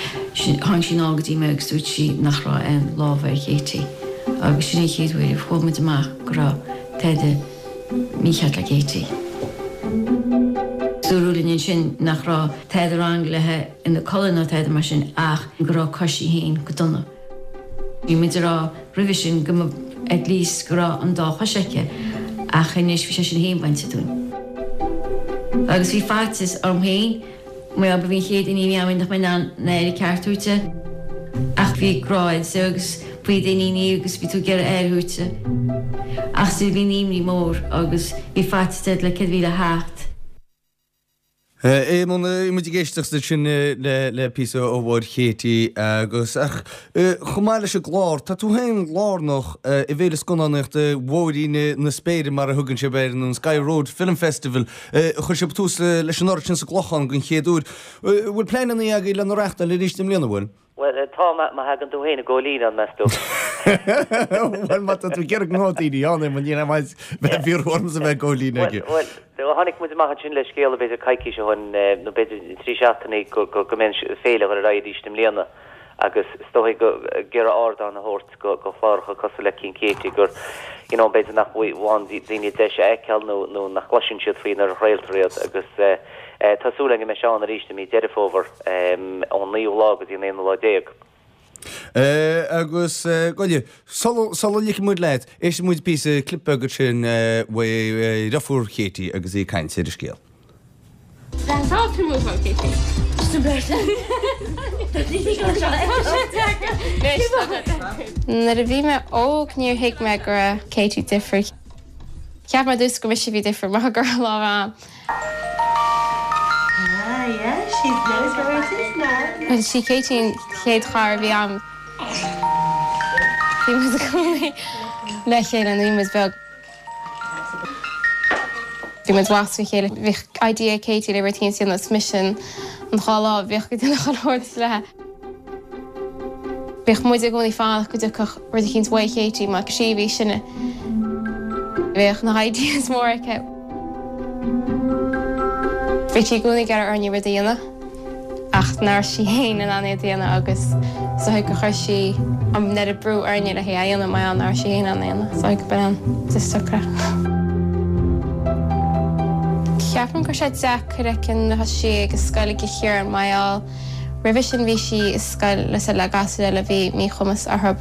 tháinig sí anall go dtí mé agus dúirt sí nach raibh aon lámha ar Katie agus sin an chéad uair a fuair muid amach go raibh tada mícheart le Katie. Dúradh linn ansin nach raibh tada wrong léi ina colainn ná tada mar sin ach go raibh cois í féin go dona. Bhí muid ag rá roimhe sin go mba at least go raibh an dá chois aici ach anois bhí sé sin féin bainte dúinn. Agus bhí faitíos orm féin mar ba í an chéad iníon a bhí agam nach mbeinn in ann aire ceart a thabhairt di. Ach bhí grá agat agus ba í d'iníon í agus bhí tú ag iarraidh aire a thabhairt di. Ach still bhí an imní mór agus bhí faitíos ort le céard a bhí le theacht. Éamonn, bhí muid ag éisteacht ansin le píosa ó mháthair Katie agus, ach chomh maith leis an gclár, tá tú féin lárnach i bhFéile Scannánaíochta Bhóithrín na Spéire, mar a thugann sibh air, nó an Sky Road Film Festival, a chuir sibh tús leis anuraidh sin sa gClochán den chéad uair. Bhfuil pleananna agaibh lena reáchtáil arís i mbliana, bhfuil? Bhuel, tá, má thagann tú féin i gcóilín ann, meas tú? Bhuel, má tá tú ag iarraidh go mbeadh daoine ann, Éamonn, níl aon mhaith bheith ag ormsa bheith i gcóilín aige. Bhuel, tháinig muid amach ansin le scéala b'fhéidir coicís ó shin, nó b'fhéidir trí seachtainí, go mbeidh an féile ag dul ar aghaidh arís i mbliana agus is dóigh go ag iarraidh ardán a thabhairt go chláracha cosúil le cinn Katie gur, you know, b'fhéidir nach bhfaigheann daoine deis a fheiceáil nó nach gcloiseann siad faoi nuair a chraoltar iad agus. Tá súil againn go mbeidh sé ann arís i mí Deireadh Fómhair, ón naoú lá go dtí an aonú lá déag. Agus, gabh i leith, sula ligfidh muid leat, éistfidh muid píosa clip beag ansin uaidh deirfiúr Katie agus í ag caint ar an scéal. Nuair a bhí mé óg níor thuig mé go raibh Katie difriúil. Cheap mé ar dtús gur mise a bhí difriúil mar gur lá am. Sí Katie an chéad chara a bhí a'm. Bhí muid i gcónaí le chéile nuair a bhí muid beag. Bhí muid ag a chéile. Bhíodh idea ag Katie le rud éicint a dhéanamh is mise an dá lámh a bhíodh ag déanamh chuile shórt léi. Bhíodh muid i gcónaí fanacht go dtiocfadh rud eicínt uaidh Katie mar sí a bhí sine. Bhíodh na ideas móra aici. Bhí sí i gcónaí ag iarraidh orainne rud a dhéanamh ach nach raibh sí féin in ann iad a dhéanamh agus is dóigh gur chuir sí an oiread brú orainne le hé a dhéanamh mar gheall nach raibh sí féin in ann a dhéanamh. Is dóigh go b'in an deacracht. Ceapaim go raibh sé deacair aici nuair a thosaigh sí ag an scoil i gCill Chiaráin mar gheall roimhe sin bhí sí i scoil le gasúir eile a bhí míchumas orthu.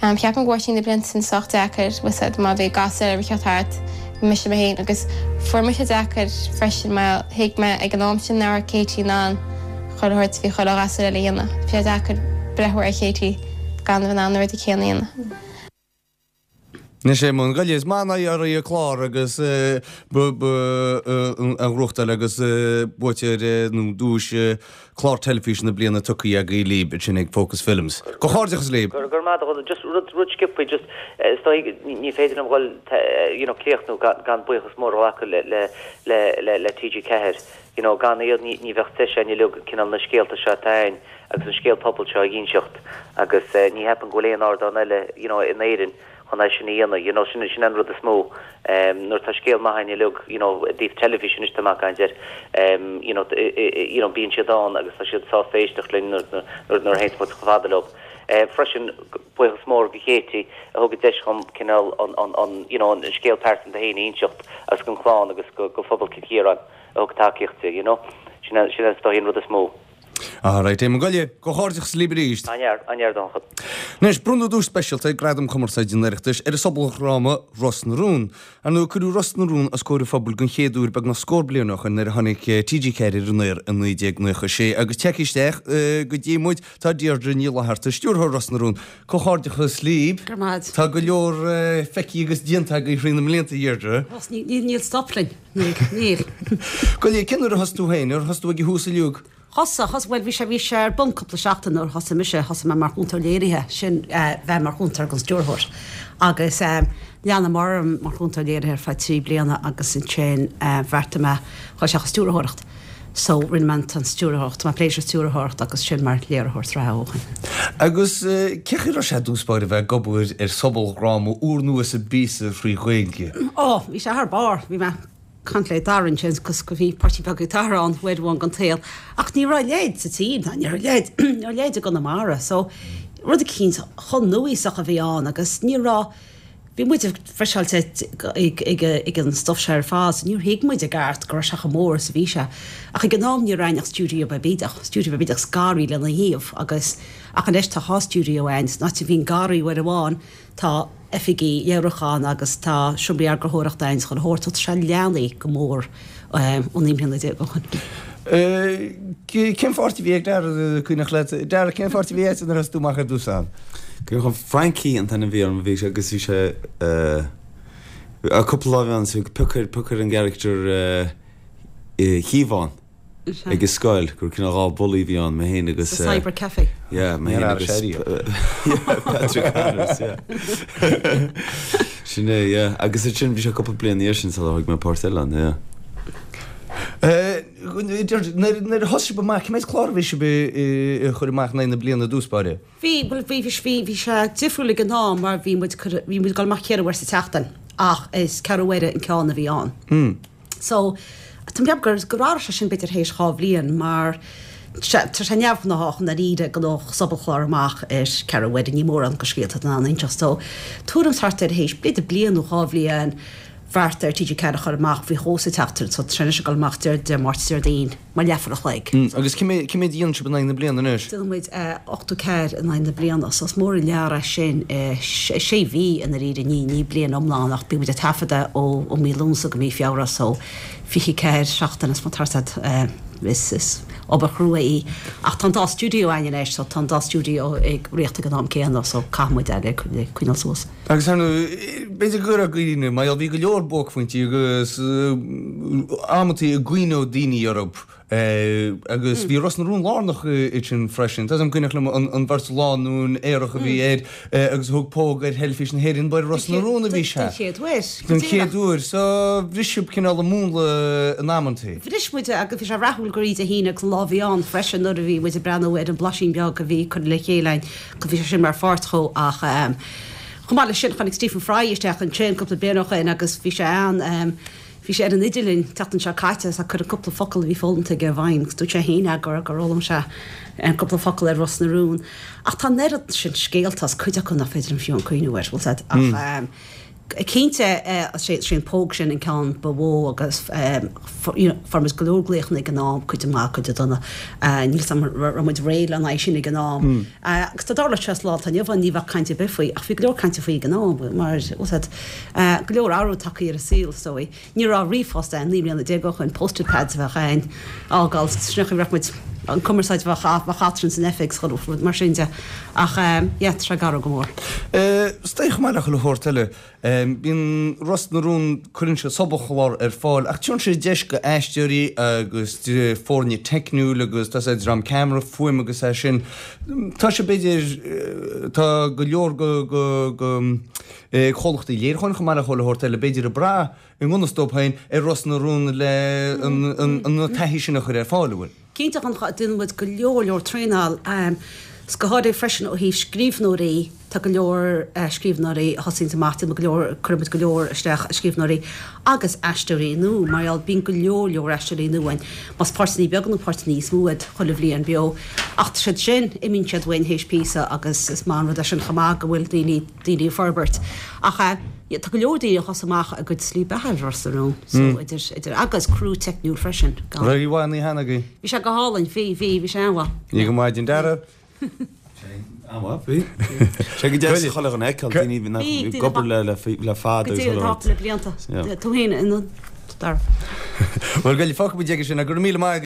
Ceapaim go bhfuair sí na blianta sin sách deacair, bhfuil 's a'd, má bhí gasúir eile ag teacht thart, bhí mise mé féin agus fuair mise deacair freisin mar thuig mé ag an am sin nach raibh Katie in ann chuile shórt a bhí chuile ghasúr eile a dhéanamh. Bhí sé deacair breathnú ar Katie gan a bheith in ann na rudaí céanna a dhéanamh. Anois Éamonn, gabh i leith, is maith an aghaidh an clár agus an ghnóthachtáil agus buaiteoir nó duais clár teilifíse na bliana tugtha agaibh libh ansin ag Focus Films. Comhghairdeachas libh! Go raibh maith agat. Just rud rud sciobtha just is dóigh ní féidir liom dhul you know críochnú gan gan buíochas mór a ghlacadh le le le le le TG4. You know gan iad ní ní bheadh deis againn uilig cineál na scéalta seo atá againn agus an scéal pobail seo a dh'inseacht agus ní cheapaim go bhfuil aon ardán eile you know in Éirinn chun é sin a dhéanamh you know sin sin an rud is mó nuair atá scéal maith againn uilig you know i dtaobh teilifíse anois tá mé ag caint air you know you know bíonn siad ann agus tá siad sásta éisteacht linn nuair nuair nuair a théanns muid chomh fada leo. Freisin buíochas mór go Katie a thug an deis dhom cineál an an an you know an scéal pearsanta féin a inseacht agus don chlann agus go go phobal Cill Chiaráin a thug tacaíocht di you know sin sin is dóigh an rud is mó. Alright, Éamonn gabh i leith, comhghairdeachas libh arís. An-fhear, an-fhear Donnchadh. Anois, bronnadh duais speisialta ag Gradaim Chumarsáide an Oireachtais ar an sobaldhráma Ros na Rún. Ar ndóigh, cuireadh Ros na Rún os comhair an phobail den chéad uair beagnach scór bliain ó shoin nuair a tháinig TG4 ar an aer i 1996 agus tagtha isteach go dtí muid tá Deirdre Ní Fhlatharta, stiúrthóir Ros na Rún. Comhghairdeachas libh. Go raibh maith agat. Tá go leor feicthe agus déanta agaibh thrí na mblianta, a Dheirdre. Níl stop linn. Níl, níl. Gabh i leith, cén uair a thosaigh tú féin? Ar thosaigh tú ag an thús uilig? Thosaigh, thosaigh, bhuel bhí sé, bhí sé ar bun cúpla seachtain nuair a thosaigh mise, thosaigh mé mar chúntóir léirithe, sin bheith mar chúntóir don stiúrthóir. Agus lean mé orm mar chúntóir léirithe ar feadh 3 bliana agus ansin bheartaigh mé dhul isteach i stiúrthóireacht. So rinne mé an stiúrthóireacht, tá mé ag plé leis an stiúrthóireacht agus sin mar léiritheoir sraithe ó shin. Agus cén chaoi a raibh sé i dtús báire bheith ag obair ar sobaldhráma úrnua sa bpíosa thrí Ghaeilge? Ó, bhí sé thar barr, bhí mé ag caint le Dara ansin agus go bhí páirtí beag ag Dara ann uair amháin den tsaol ach ní raibh a leithéid sa tír ná ní raibh a leithéid, ní raibh a leithéid i gConamara so rud eicínt chomh núíosach a bhí ann agus ní raibh, Bhí muid friseáilte ag an stuif seo ar fad so níor thuig muid i gceart go raibh sé chomh mór is a bhí sé. Ach ag an am ní raibh a'inn ach stiúideo beag bídeach, stiúideo beag bídeach 's garraí lena thaobh agus ach anois tá dhá stiúideo a'inn, san áit a bhí an garraí uair amháin tá oifigí léiriúcháin agus tá seomraí eagarthóireachta a'inn 's chuile shórt so tá sé leathnaithe go mór ó 19 mbliana ó shin. Cén pháirt a bhí ag Dara, cuimhneach leat? Dara, cén pháirt a bhí agat nuair a thosaigh tú amach ar dtús ann? Cuimhneach liom Frankie an t-ainm a bhí orm, bhí sé agus bhí sé cúpla lá a bhí ann so pioc ar pioc ar an gcarachtar Shiobhán ag an scoil gur cineál dhá bully a bhí ann, mé féin agus Sa Cyber Cafe. Yeah, mé féin agus Patrick Connors, yeah. Sin é, yeah. Agus ansin bhí sé cúpla bliain ina dhiaidh sin sular thóg mé páirt eile ann, yeah. Nuair a thosaigh sibh amach, cé mhéad clár a bhí sibh a chur amach in aghaidh na bliana i dtús báire? Bhí, bhuel bhí, bhí, bhí sé difriúil ag an am mar bhí muid, bhí muid ag dul amach ceithre uair sa tseachtain ach is ceathrú uaire an ceann a bhí ann. So, tá mé ag ceapadh gur gur athraigh sé sin b'fhéidir théis dhá bhliain mar tá sé neamhghnách i ndáiríre go ngabhfadh sobalchlár amach ar ceathrú uaire, ní mórán go scéalta in ann inseacht. So, tuairim thart ar théis b'fhéidir bliain nó dhá bhliain. bheartaithe ar TG4 a chur amach faoi dhó sa tseachtain so tá sé anois ag dul amach Dé Máirt is Déardaoin mar leathuair a chloig. Agus cé mhéad a dhéanann sibh in aghaidh na bliana anois? Déanann muid 84 in aghaidh na bliana so is mór an lear é sin i sé mhí i ndáiríre, ní ní bliain iomlán ach bíonn muid ag taifeadadh ó mí Lúnasa go mí Feabhra so 24 seachtain is mar tá is is obair chrua í ach tá an dá stiúideo againn anois so tá an dá stiúideo ag rith ag an am céanna so caithfidh muid é le coinneáil suas. Agus ar ndóigh, b'fhéidir go raibh daoine, mar gheall, bhí go leor buaicphointí agus amantaí a gcuimhneodh daoine orthu agus bhí Ros na Rún lárnach ansin freisin. Tá 'fhios a'm cuimhneach liom an bheirt lánúin aerach a bhí air agus a thug póg ar theilifís na hÉireann, ba ar Ros na Rún a bhí sé. Den chéad uair. Den chéad uair. So bhris sibh cineál an múnla in amantaí. Bhris muid é agus bhí sé rathúil gur í Dé hAoine agus an lá a bhí ann freisin nuair a bhí muid ag breathnú ar an blaisín beag a bhí curtha le chéile againn. go bhí sé sin mar pháirt dhó ach chomh maith leis sin tháinig Stephen Fry isteach ansin cúpla bliain ó shoin agus bhí sé ann bhí sé ar an idirlíon an tseachtain seo caite agus ag cur an cúpla focal a bhí foghlamtha aige i bhfeidhm agus dúirt sé féin gur gur fhoghlaim sé an cúpla focal ar Ros na Rún ach tá an oiread sin scéalta is cuid acu nach féidir liom fiú an cuimhniú air bhfuil 's a'd ach Cinnte, sé an póg sin an ceann ba mhó agus fuair muid go leor glaochanna ag an am, cuid maith, cuid dona. Níl 's a'm an raibh muid réidh lena aghaidh sin ag an am. Agus dá dtarlódh sé sa lá atá inniu ann ní bheadh caint ar bith faoi ach bhí go leor cainte faoi ag an am mar, bhfuil 's a'd, go leor athrú tagtha ar an saol is dóigh. Ní raibh ríomhphost ann 19 mbliana ó shoin, post-it pads a bheadh ann, fhágáil, sin an chaoi a raibh muid, an cumarsáid a bheadh eadrainn san oifig is chuile rud mar sin de. Ach yeah, tá sé ag athrú go mór. Is dóigh chomh maith le chuile shórt eile, bíonn Ros na Rún, cuireann sé sobalchlár ar fáil ach tugann sé deis go aisteoirí agus foirne teicniúil agus tá sé dream ceamara, fuaim agus é sin. Tá sé b'fhéidir, tá go leor go, go, go, comhlachtaí léiriúcháin chomh maith le chuile shórt eile, b'fhéidir ag brath, i ngan fhios dóibh féin, ar Ros na Rún le an taithí sin a chur ar fáil, an bhfuil? Cinnte, déanann muid go leor leor traenáil, 's go háirithe freisin ó thaobh scríbhneoirí, tá go leor scríbhneoirí a thosaíonns amach, déanann muid go leor, cuireann muid go leor isteach scríbhneoirí agus aisteoirí nua, mar gheall, bíonn go leor leor aisteoirí nua ann, más páirteanna beaga nó páirteanna níos mó iad, chuile bhliain beo. Ach tá siad sin, imíonn siad uainn théis píosa agus is maith an rud é sin chomh maith go bhfuil daoine, daoine ag forbairt. Ach tá go leor daoine a thosaigh amach a gcuid slí beatha ar Ros na Rún, so idir, idir, agus criú teicniúil freisin. Gan. Raibh mhaith an oíche cheana agaibh? Bhí sé go hálainn, bhí, bhí, bhí sé an-mhaith. Bhí go maidin Dara. An-mhaith, bhí. Sé go deas chuile dhuine a fheiceáil, daoine nach Bhí, ag obair le, le, le fada Go agus dtí chuile an rud. le blianta. Yeah. Tú féin, Dara. Bhuel, go fágfaidh muid aige sin, go raibh míle maith.